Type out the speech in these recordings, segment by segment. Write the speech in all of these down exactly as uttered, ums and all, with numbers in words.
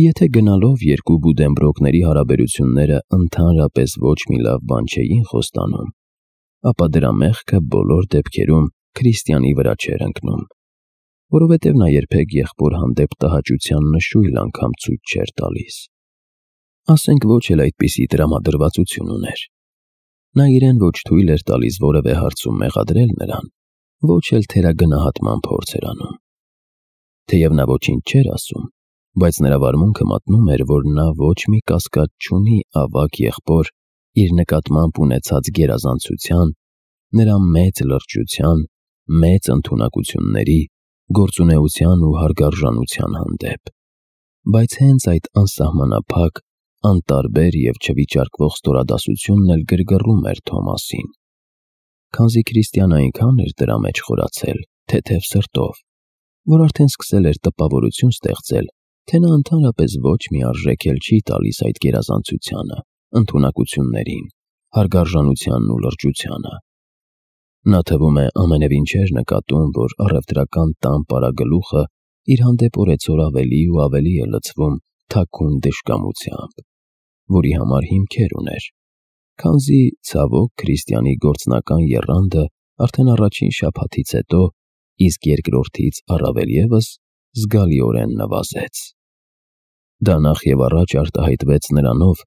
Եթե գնալով երկու Բուդենբրոկների հարաբերությունները ընդհանրապես ոչ մի լավ բան չէին խոստանում, ապա դրա մեղքը բոլոր դեպքերում Քրիստիանի վրա չէր ընկնում, որովհետև նա երբեք եղբոր հանդեպ տհաճության նշույլ անգամ ցույց չէր տալիս։ Ասենք ոչ էլ այդպիսի տրամադրվածություն ուներ։ Նա իրեն ոչ թույլ էր տալիս որևէ հարցում մեղադրել նրան, ոչ էլ թերագնահատման փորձ էր անում։ Թեև նա ոչինչ չէր ասում, բայց նրա վարմունքը մատնում էր, որ նա ոչ մի կասկած չունի ավագ եղբոր իր նկատմամբ ունեցած գերազանցության, նրա մեծ լրջության, մեծ ընդունակությունների, գործունեության ու հարգարժանության հանդեպ։ Բայց հենց այդ անսահմանափակ, անտարբեր և չվիճարկվող ստորադասությունն էլ գրգռում էր Թոմասին, քանզի Քրիստիան այնքան էր դրա մեջ խորացել, թեթև սրտով, որ արդեն սկսել էր տպավորություն ստեղծել, թե նա ընդհանրապես ոչ մի արժեք էլ չի տալիս այդ գերազանցությանը, ընդունակություններին, հարգարժանությանն ու լրջությանը։ Նա թվում է ամենևին չէր նկատում, որ առևտրական տան պարագլուխը իր հանդեպ օրեցօր ավելի ու ավելի է լցվում թաքուն դժկամությամբ, որի համար հիմքեր ուներ, քանզի, ցավոք, Քրիստիանի գործնական եռանդը արդեն առաջին շաբաթից հետո, իսկ երկրորդից առավել ևս, զգալիորեն նվազեց։ Դա նախ և առաջ արտահայտվեց նրանով,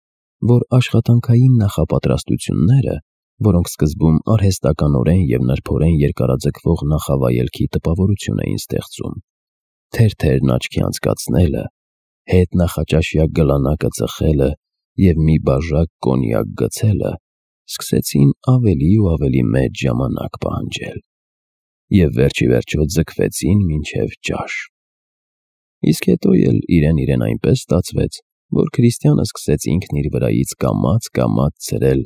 որ աշխատանքային նախապատրաստությունները, որոնք սկզբում արհեստականորեն և նրբորեն երկարաձգվող նախավայելքի տպավորություն էին ստեղծում, թերթերն աչքի անցկացնելը, հետ նախաճաշյա գլանակը ծխելը և մի բաժակ կոնյակ գցելը, սկսեցին ավելի ու ավելի մեծ ժամանակ պահանջել և վերջիվերջո ձգվեցին մինչև ճաշ։ Իսկ հետո էլ իրեն-իրեն այնպես ստացվեց, որ Քրիստիանը սկսեց ինքն իր վրայից կամաց-կամաց ցրել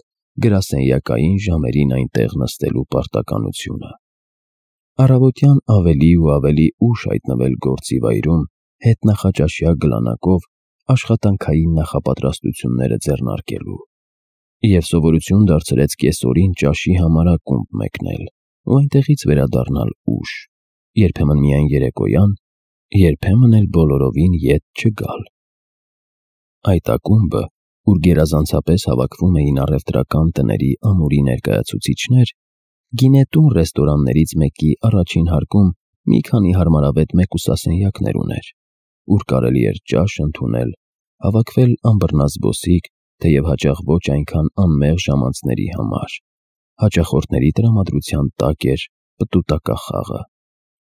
գրասենյակային ժամերին այնտեղ նստելու պարտականությունը։ Առավոտյան ավելի ու ավելի ուշ հայտնվել գործի վայրում, հետնախաճաշյա գլանակով աշխատանքային նախապատրաստությունները ձեռնարկելու և սովորություն դարձրեց կեսօրին ճաշի համար ակումբ մեկնել ու այնտեղից վերադառնալ ուշ, երբեմն միայն երեկոյան, երբեմն էլ բոլորովին ետ չգալ։ Այդ ակումբը, ուր գերազանցապես հավաքվում էին առևտրական տների ամուրի ներկայացուցիչներ, գինետուն ռեստորաններից մեկի առաջին հարկում մի քանի հարմարավետ մեկուսասենյակներ ուներ, ուր կարելի էր ճաշ ընդունել, հավաքվել անբռնազբոսիկ, թեև հաճախ ոչ այնքան անմեղ ժամանցների համար, հաճախորդների տրամադրության տակ էր պտուտակախաղը։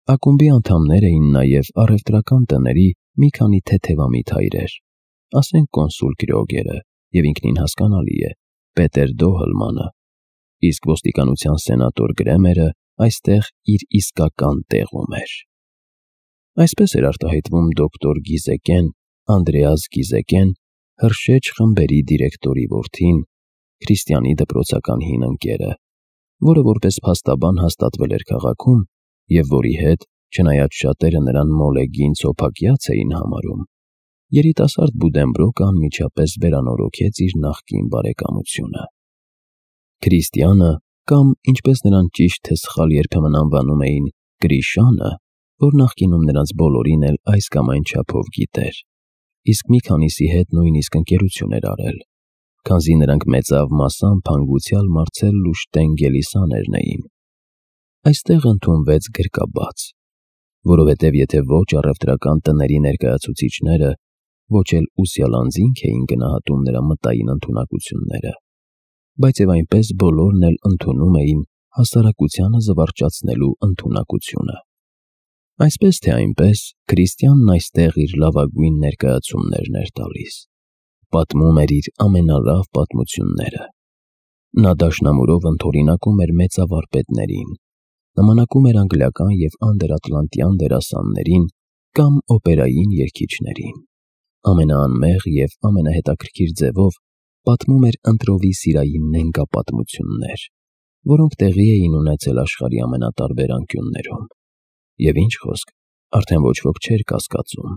Ակումբի անդամներ էին նաև առևտրական տների մի քանի թեթևամիտ հայրեր, ասենք կոնսուլ Կրյոգերը և ինքնին հասկանալի է, Պետեր Դոհլմանը, իսկ ոստիկանության սենատոր Գրեմերը այստեղ իր իսկական տեղում էր։ Այսպես էր արտահայտվում դոկտոր Գիզեկեն, Անդրեաս Գիզեկեն, Հրշեջ խմբերի դիրեկտորի որդին, Քրիստիանի դպրոցական հին ընկերը, որը որպես փաստաբան հաստատվել էր քաղաքում և որի հետ, չնայած շատերը նրան մոլեգին սոփակյաց էին համարում, երիտասարդ Բուդենբրոկը անմիջապես վերանորոգեց իր նախկին բարեկամությունը։ Քրիստիանը, կամ ինչպես նրան ճիշտ թե սխալ երբեմն անվանում էին Գրիշանը, որ նախկինում նրանց բոլորին էլ այս կամ այն չափով գիտեր, իսկ մի քանիսի հետ նույնիսկ ընկերություն էր արել, քանզի նրանք մեծավ մասամբ հանգուցյալ Մարցել Լուշտեն Գելիսաներն էին։ Այստեղ ընդունվեց գրկաբաց, որովհետև եթե ոչ առևտրական տների ներկայացուցիչները, ոչ էլ ուսյալ անձինք էին գնահատում նրա մտային ընդունակությունները, բայց և այնպես բոլորն էլ ընդունում էին հասարակությանը զվարճացնելու ընդունակությունը։ Այսպես թե այնպես, Քրիստիանն այստեղ իր լավագույն ներկայացումներն էր տալիս, պատմում էր իր ամենալավ պատմությունները։ Նա դաշնամուրով ընդօրինակում էր մեծավարպետներին, նմանակում էր անգլիական և անդերատլանտյան դերասաններին կամ օպերային երգիչներին, ամենաանմեղ և ամենահետաքրքիր ձևով պատմում էր ընտրովի սիրային նենգապատմություններ, որոնք տեղի էին ունեցել աշխարհի ամենատարբեր անկյուններում։ Եվ ինչ խոսք, արդեն ոչ ոք չէր կասկածում,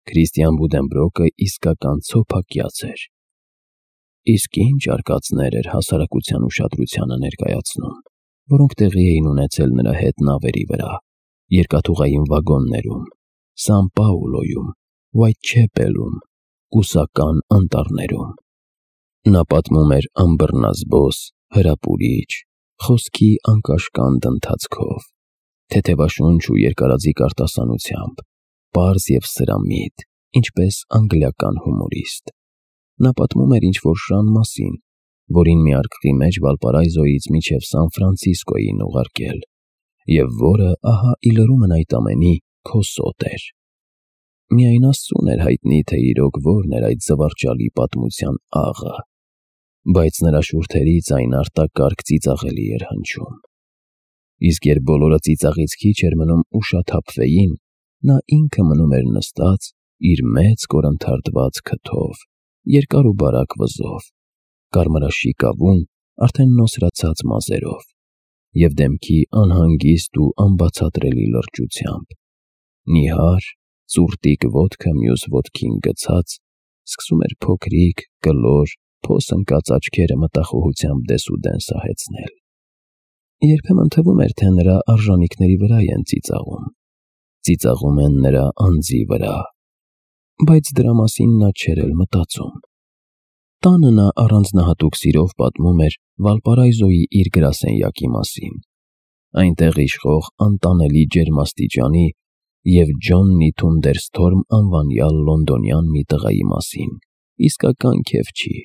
Քրիստիան Բուդենբրոկը իսկական ցոփակյաց էր։ Իսկ ինչ արկածներ էր հասարակության ուշադրությանը ներկայացնում, որոնք տեղի էին ունեցել նրա հետ նավերի վրա, երկաթուղային վագոններում, Սան Պաուլոյում, Whitechapel-ում, կուսական անտառներում։ Նա պատմում էր անբռնազբոս, հրապուրիչ, խոսքի անկաշկանդ ընթացքով, թեթևաշունչ ու երկարաձիգ արտասանությամբ, պարզ և սրամիտ, ինչպես անգլիական հումորիստ։ Նա պատմում էր ինչ-որ շան մասին, որին մի արկղի մեջ Վալպարայզոյից մինչև Սան Ֆրանցիսկո էին ուղարկել, և որը, ահա ի լրումն այդ ամենի, քո սոտ էր։ Միայն Աստծուն էր հայտնի, թե իրոք որն էր այդ զվարճալի պատմության աղը, բայց նրա շուրթերից այն արտակարգ ծիծաղելի էր հնչում։ Իսկ երբ բոլորը ծիծաղից քիչ էր մնում ուշաթափվեին, նա ինքը մնում էր նստած իր մեծ կորնթարթված քթով, երկար ու բարակ վզով, կարմրաշիկ ավուն արդեն նոսրացած մազերով, և դեմքի անհանգիստ ու անբացատրելի լրջությամբ, նիհար, ծուռտիկ ոտքը մյուս ոտքին գցած, սկսում էր փոքրիկ, կլոր, փոս ընկած աչքերը մտախոհությամբ դեսուդեն սահեցնել։ Երբեմն թվում էր, թե նրա արժանիքների վրա են ծիծաղում, ծիծաղում են նրա անձի վրա, բայց դրա մասին նա չէր էլ մտածում։ Տանը նա առանձնահատուկ սիրով պատմում էր Վալպարայզոյի իր գրասենյակի մասին, այնտեղ իշխող անտանելի ջերմաստիճանի և Ջոննի Թունդերսթորմ անվանյալ լոնդոնյան մի տղայի մասին, իսկական քեֆչի,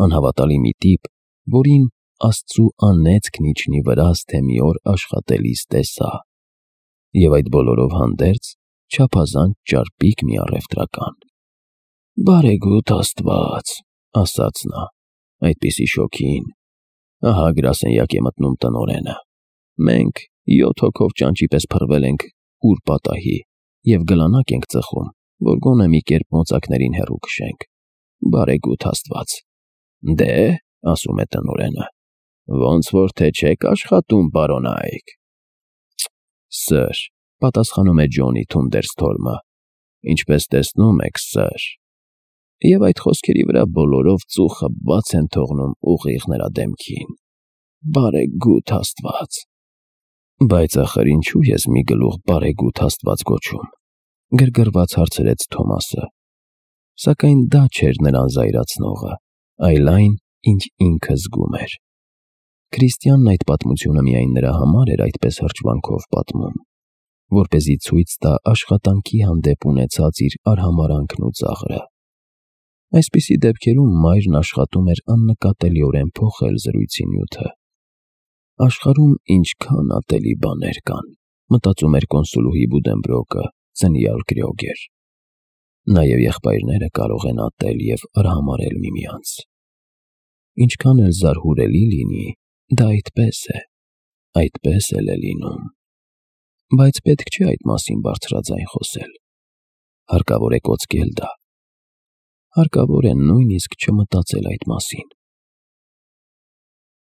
անհավատալի մի տիպ, որին Աստծու անեծքն իջնի վրաս, թե մի օր աշխատելիս տեսա, և այդ բոլորով հանդերձ չափազանց ճարպիկ մի առևտրական։ «Բարեգութ Աստված», ասաց նա, այդպիսի շոգին, ահա գրասենյակ է մտնում տնօրենը, մենք յոթ հոգով ճանճի պես փռվել ենք ուր պատահի և գլանակ ենք ծխում, որ գոնե մի կերպ մոծակներին հեռու քշենք։ Բարեգութ Աստված։ «Դե՞, ասում է տնօրենը, ոնց որ թե չեք աշխատում, պարոն Այք»։ «Սըր», պատասխանում է Ջոնի Թունդերսթորմը, «ինչպես տեսնում եք, սըր»։ Եվ այդ խոսքերի վրա բոլորով ծուխը բաց են թողնում ուղիղ նրա դեմքին։ Բարեգութ Աստված։ «Բայց ախր ինչու ես մի գլուխ բարեգութ Աստված գոչում», գրգռված հարցրեց Թոմասը։ Սակայն դա չէր նրան զայրացնողը, այլ այն, ինչ ինքը զգում էր։ Քրիստիանն այդ պատմությունը միայն նրա համար էր այդպես հրճվանքով պատմում, որպեսզի ցույց տա աշխատանքի հանդեպ ունեցած իր արհամարհանքն ու ծաղրը։ Այսպիսի դեպքերում մայրն աշխատում էր աննկատելիորեն փոխել զրույցի նյութը։ Աշխարհում ինչքան ատելի բաներ կան, մտածում էր կոնսուլուհի Բուդենբրոկը, ծնյալ Կրյոգեր։ Նա և եղբայրները կարող են ատել և արհամարհել միմյանց։ Ինչքան էլ զարհուրելի լինի, դա այդպես է, այդպես էլ է լինում։ Բայց պետք չէ այդ մասին բարձրաձայն խոսել։ Հարկավոր է կոծկել դա։ Հարկավոր է նույնիսկ չմտածել այդ մասին։